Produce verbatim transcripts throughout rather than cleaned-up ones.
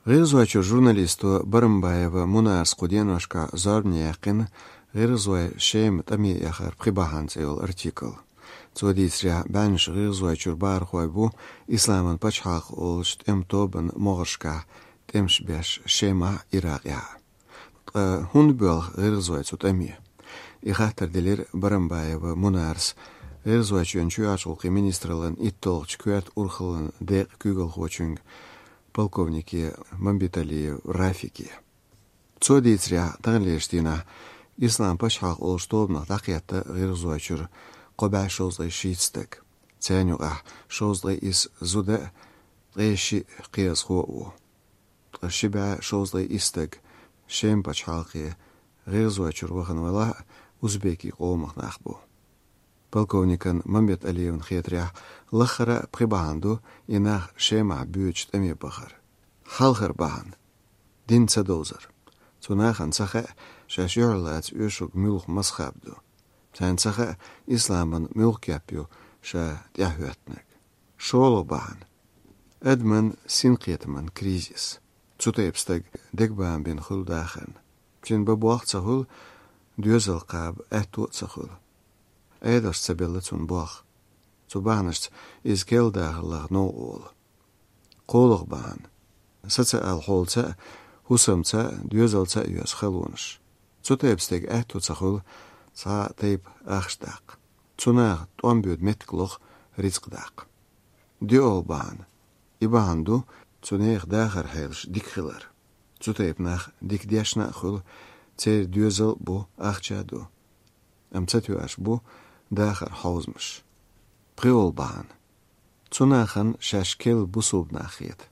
ГӀиргӀазойчура журналисто Барамбаева Мунарас кху деношкахь зорбане яьккхина «ГӀиргӀазой Шема тӀаме яхар пхи бахьана» цӀе йолу артикл. Цо дийцарехь, бӀеннаш ГӀиргӀазойчуьра бахархой бу Исламан пачхьалкх олучу тӀеман тобанан могӀаршкахь тӀемаш беш Шемахь а, Иракъехь а. Ткъа хӀунда боьлху гӀиргӀазой цу тӀаме? И хаттар делира Барамбаева Мунарас ГӀиргӀазойчоьнан чоьхьарчу гӀуллакхийн министраллан итталгӀачу коьрта урхаллин декъан куьйгалхочуьнга, полковнике Мамбеталиев Рафике. Цо дийцарехь, таханлерчу дийнахь Ислам пачхьалкх олучу тобанах дӀакхетта ГӀиргӀазойчуьра кхо бӀе шовзткъе шийтта стаг. Царна юкъахь шовзткъе исс зуда а, ткъе шиъ кхиазхо а ву. Ткъа ши бӀе шовзткъе исс стаг Шема пачхьалкхе ГӀиргӀазойчуьра вахана валахь а, узбекийн къомах нах бу. Полковникан Мамбеталиевна хетарехь, лаххара а пхи бахьана ду и нах Шемахь боьдучу тӀаме бахар. Хьалхара бахьана — дин ца довзар. Цу нахана ца хаьа, шаьш юьхьарлаца оьшург муьлха мазхӀаб ду. Царна ца хаьа, исламан муьлха кеп ю ша тӀаьхьахӀоьттинарг. ШолгӀа бахьана — адаман синкхетаман кризис. Цу тайпа стаг дегабама бина хуьлу дахарна. Цуьнан бан болх ца хуьлу, доьзал кхаба аьтто а ца хуьлу. Ӏедалш ца белла цунна болх. Цу бахьанашца иза керла дахар лаха новкъа волу. КхоалгӀа бахьана — социал хьолаца а, хӀусамца а, доьзалца а йоьзна халонаш. Цу тайпа стеган аьтто ца хуьлу цхьа а тайпа ахча даккха. Цу наха тӀом боьду меттиг лоху рицкъ даккха. ДоьалгӀа бахьана — и бахьана ду цу нехан дахаран хьелаш дика хилар. Цу тайпа нах дика дешна а хуьлу, церан доьзал а бу, ахча а ду. Амма ца тоьаш бу дахаран хьовзамаш. ПхоьалгӀа бахьана — цу нахана шаьш керла бусалба нах хета.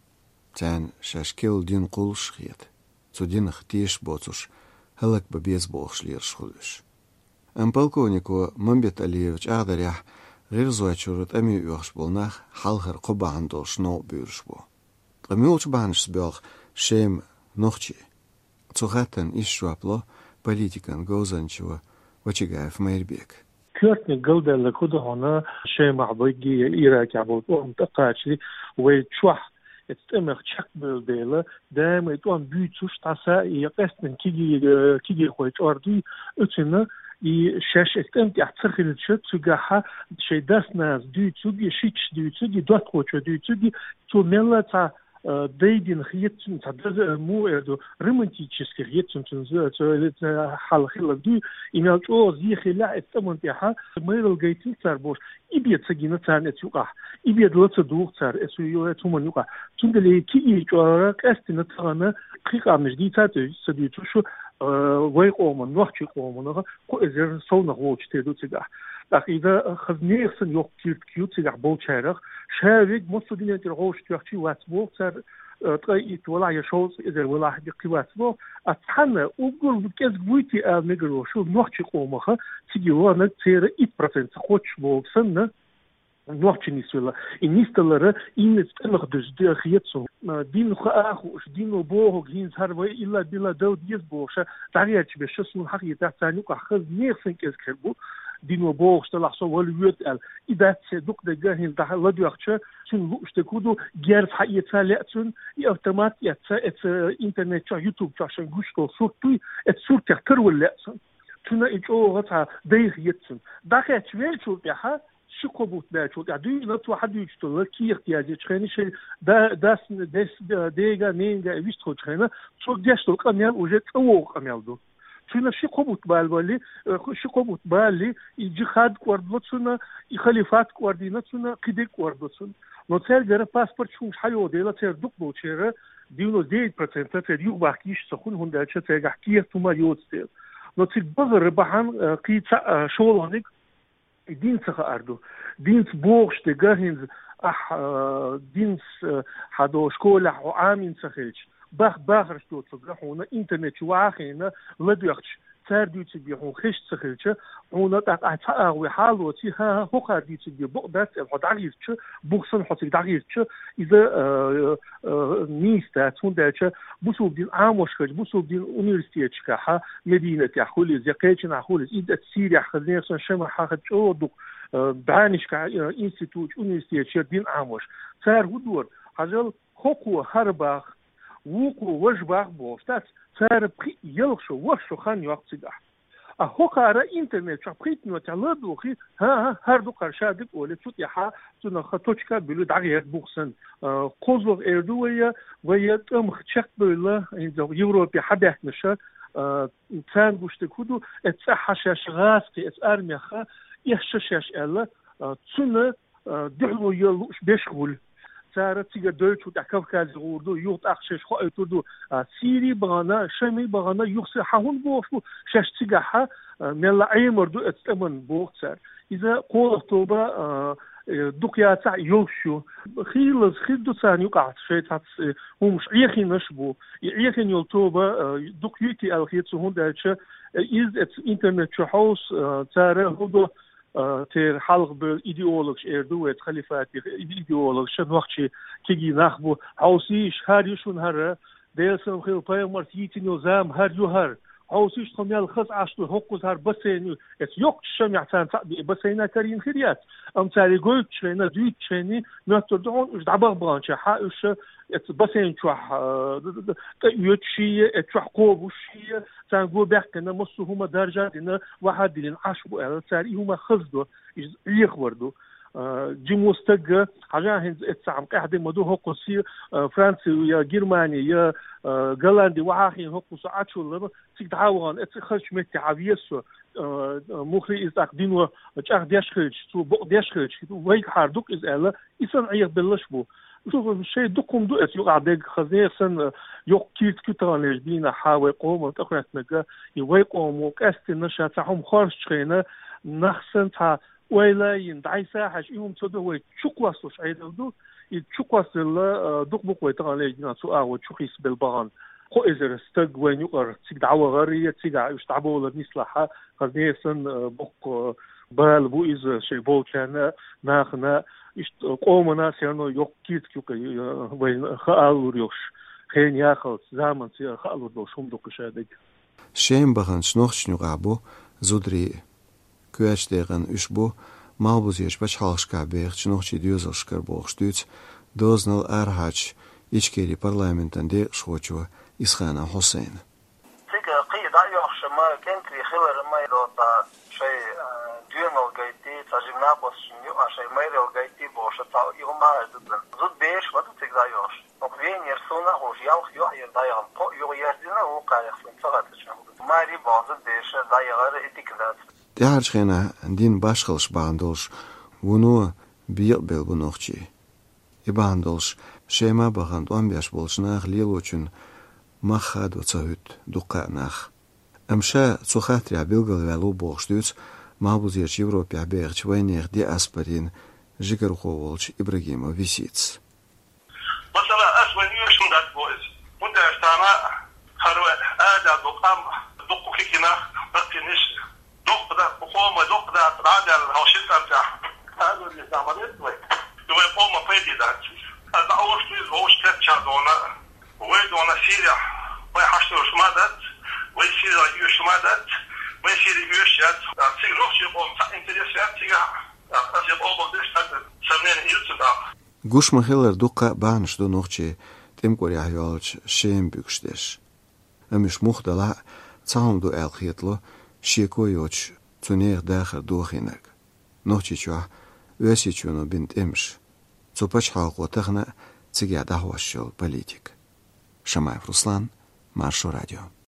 Царна шаьш керла дин кхуллуш хета. Цу динах тешаш боцурш хӀаллакбан беза бохуш лелаш хуьлу уьш. Амма полковнико Мамбеталиевн чӀагӀдарехь, ГӀиргӀазойчуьра тӀаме оьхуш болу нах хьалхара кхо бахьана долуш новкъа буьйлуш бу. Ткъа муьлхачу бахьанашца боьлху Шема нохчий? Цу хаттарна иштта жоп ло политикан говзанчо Вачагаев Майрбека. Коьртаниг галдаьлларг хӀун ду хьуна, Шемахь бегий я Иракехь болу тӀом тӀекхачале вай чохь эцу тӀемах чекхбевлла дела, даиман и тӀом буьйцуш, дӀаса я къаьсттина кегий-, э, кегийрхой чӀор дуй, оьцуьнан и шаьш эцу тӀем тӀехь ца хилча, цигахь шайн дас-нанас дуьйцург, и шичча дуьйцург, и доттагӀчо дуьйцург, цо мелла а цхьа, э, дайдина хета цунна, цхьа даза, э, муха эр ду, романтически хета цунна, цунна, цо, цо, э, хьал хилларг дуй, и мел чӀогӀа зе хиллехь эцу тӀеман тӀехь, майралла гайтина цара бохуш, и бен ца гина царна эцу юкъахь, и бен ла ца дугӀу цара эцу ю-, эцу хӀуманна юкъахь. Цундела и кегий чӀор къаьсттина тахана кхин къамнаш дийца а ца дуьйцуш, э, вай къоман, нохчийн къоманах, кхо эзар совнах волчу тера ду цигахь. ТӀаккха иза хаза нехан санна йоккха киртиг ю цигахь болчарах, ша верг массо а дуьнен тӀера гӀовшах тоьхчий вац боху цара, э, ткъе итт валахь я шовзткъа эзар валахь а кхин вац боху, а цхьана уггар кӀезиг вуй те ала мегар волуш, нохчийн къомах цига ваханарг церан итт процент ца кхоччуш боху санна, нохчий нисвелла. И нисдалар иннарчу тӀемах дуьзна хета суна. Дин хаа а хууш, дино бохург хӀинца хӀара вай илла-билла дала деза бохуш, дӀагӀерташ берш суна хьахетахь, царна юкъахь хаза нехан санна кӀезиг хир бу, дино бохуш делахь со вала воьду аьлла. И дац, дукха дерг хӀинца дӀа ладоьгӀча, цуьнан лууш дерг хӀун ду, герз хьаэца лаьа цунна, и автомат эцна, эцу интернет чохь, YouTube чохь шайн гуш долу сурт дуй, эцу суртех тарвала лаьа цунна. Цуьнан и чӀогӀа цхьа дайха хета цунна. ДӀакхаьчча веллачул тӀаьхьа, ши-кхо бутт баьллачул тӀаьхьа дуьйна цо хьадуьйцуш долу кехат язйечу хенахь, шайн да-, дас, дес-, дега, ненга вистхуьлучу хенахь, цо деш долу къамел уже цӀа вогӀу къамел ду. Цуьнан ши-кхо бутт бала валли, э, ши-кхо бутт балли, и джихад кӀордало цунна, и халифат кӀордийна цунна, кхидерг кӀордало цунна. Но цаьргара паспорт хӀумаш хьайогӀу дела, церан дукхахболчеран девяносто девять процентов церан юхабахка йиш ца хуьлу, хӀунда аьлча цаьргахь кехат хӀума йоцу дела. Но цига бахара бахьана, э, кхин цхьа, э, шолгӀаниг, и дин ца хаар ду. Динца бохуш дерг хӀинца ахь, э, динца, э, хьан долу школехь хьо Ӏамийна ца хилча, бах-, бахарш доцург хьуна интернет чу ваха а хиъна, ладоьгӀча, цара дуьйцург бен хьуна хезаш ца хилча, хьуна тӀаккха ахь цхьа агӀо хьалоций, хӀан-хӀа, хӀокхара дуьйцург бен бакъ дац аьлла хьо дӀагӀиртича, бух санна хьо цига дӀагӀиртича, иза, э, э, нийса дац, хӀунда аьлча бусулба дин Ӏамош хилча, бусулба дин университеташкахь, Мединатехь хуьлийла, я кхечанхьа хуьлийла, и дац Сирехь хаза, нехан санна Шемахь хаза чӀогӀа дукха, э, бӀеннашкахь, э, институташ, университеташ яра дин Ӏамош. Цара хӀун дора? Хьажал, хӀокхо хӀара бах, Вукхо важа бах бохуш дац, цара пхиъ, ялх шо, ворхӀ шо хан йоккху цигахь. А хӀокхара интернет чохь пхийтта минот тӀехь ладугӀу хи, хӀан-хӀа, хӀара ду кхара ша дика олий, цу тӀехь цунах ха точка а буьллу, дӀагӀерта бух санна. А, кхозлагӀа эр ду вай, вай тӀамах чекхбевлла, хӀинца Европе хьабаьхкинарш, а, царна гуш дерг хӀун ду, эцу цӀахь шаьш гӀазкхи, эцу армех эшча шаьш аьлла, а, цунна а, дуьхьало ян лууш беш хуьлу. Цара цига дойту тӀехь Кавказе гӀур ду, юха тӀаккха шаьш хоуьйтур ду. А, Сири бахана, Шами бахана, юха са хьан хӀунда бохуш бу, шаьш цигахь, а, мелла Ӏемар ду эцу тӀаман боху цара. Иза кхоалгӀа тоба, а, э, дукха яцахь йолуш ю. Хийлаза хир ду царна юкъахь шайн цхьацца, э, хӀумаш Ӏехийнаш бу. И Ӏехийна йолу тоба, а, дукха юйтий аьлла хета суна, хӀунда аьлча, э, иза эцу интернет чу хьовса, а, цара хӀун ду, а, церан хьалха бевлла идеологаш эр ду вай халифатех, идеологаш нохчий кегий нах бу. Хьовсийша, хӀара ю шуна хӀара, Делан салам хилла пайхамарца йийцина йолу зама хӀара ю хӀара. Хьовсийша, тхо мел хаза Ӏаш ду, хӀокхуза хӀара бассейн ю. Эцу йоккхачу Шамехь царна цхьаъ бен бассейн а карийна хир яц. Амма цара и гойтучу хенахь, дуьйцучу хенахь, моьттур ду хьуна, уьш дӀабаха баханчохь, хӀа, уьш эцу бассейн чохь, а, д-, д-, д-, тӀеоьцуш а, эцу чохь кхобуш а, царна го баьккхина, массо а хӀума даржа а дина, ваха а диллина Ӏаш бу аьлла, цара и хӀума хаза ду, иза Ӏехавар ду. А, жима стаг, хьажахь, хӀинца эццахь къаьхьа де ма ду, хӀокхуьнца, а, Франци я Германи, я, а, Голланди вахахь хӀокхуьнца Ӏачуллама, цига дӀа а вахана, эцу хазачу метте хьан веза со, а, муххале иза тӀаккха дино чӀагӀдеш хилча, цо бакъдеш хилча, вайгахьара ду-кх иза аьлла, и санна Ӏехабелларш бу. Шу шайн дукха хӀума ду эцу юкъахь дерг, хаза нехан санна, йоккха киртиг ю таханлерчу дийнахь вай къоман тӀехӀоьттинарг, и вай къомо къаьстина ша цхьа хӀума хоржучу хенахь, нах санна цхьа ойла а йина, дӀасахьаш, и хӀума ца до, вай чукхоссалуш Ӏедал ду, и чукхоссалла, а, дукха бу-кх вай таханлерчу дийнахь цу агӀор чу хьийсабелла бахана. Кхо эзар стаг вайна юкъара цига дӀавахара, я цигахь уьш дӀабовлар нислахь, хаза нехан санна, а, боккха, а, бала бу иза шайн болчарна, нахана, иштта къомана все равно йоккха киртиг ю-кх, а, вайна хаалур йолуш, хенан яхалц, заманца хаалур долуш хӀума ду-кх ша дерг. Шема баханчу нохчашна юкъахь бу зударий а. Коьртачу декъана уьш бу малхбузерчу пачхьалкхашкахь бехачу нохчийн доьзалшкара бохуш дуьйцу дозанал арахьарчу Ичкерин парламентан декъашхочо Исханов Хьусайна. Цига кхин дӀа а йоьхуш ма, кӀентий хилар ма, и доцу шайн, а, доьналла гайтий, цхьа жима накъосташна юкъахь шайн майралла гайтий бохуш, цхьа и хӀума а ду царна. Зуда бераш ма ду цига дӀа а йоьхуш. Оха венера суна а хууш, ялх йоӀ яра дӀаяхана, кхоъ юха яздина, вукхарах суна ца хаттачу. Маре боху зуда бераш дӀаяхара и дика дац. ТӀаьхьарчу хенахь дина башхаллаш бахьана долуш вуно бекъабелла бу нохчий. И бахьана долуш Шема бахана тӀом беш болчу наха лелочун мах хадо ца хӀуьтту дуккха а нах. Амма ша цу хаттарехь билгалваьлла ву бохуш дуьйцу малхбузерчу Европехь бехачу вайнехан диаспорин жигархо волчу Ибрагимов Виситас. Масала, ас вайн оьшуш ма дац бо иза. ХӀунда аьлча тахана хӀара вай ада ду къам, дуккха кегий нах, баккхийнаш, дуккха да, къоман дуккха да, дӀа а даьлла, хьо ши цӀа тӀехь. Аса вай ма дац вай. И вай къоман пайде дац иза. Аса дӀа оьшу иза вовшах кхетча дона, вай дона Сирехь, вай хьашт долуш ма дац, вай Сирехь оьшуш ма дац, вай Сири оьшуш яц. Цига нохчийн къоман цхьа интерес яц цигахь. Аса и къоман деш цхьацца сомнени йилла цу тӀаккха. Гуш ма-хиллара, дуккха а бахьанаш ду нохчийн тӀемкъурехь йолчу Шема буьгуш дерш. Амма уьш муха далахь а, цхьа хӀума ду аьлла хетало шеко йоцуш цу нехан дахар дохийнарг. Нохчийчохь Оьрсийчоьно бина тӀемаш. Цу пачхьалкхо тахана а цигахь дӀахьош йолу политика. Шамаев Руслан, Маршо радио.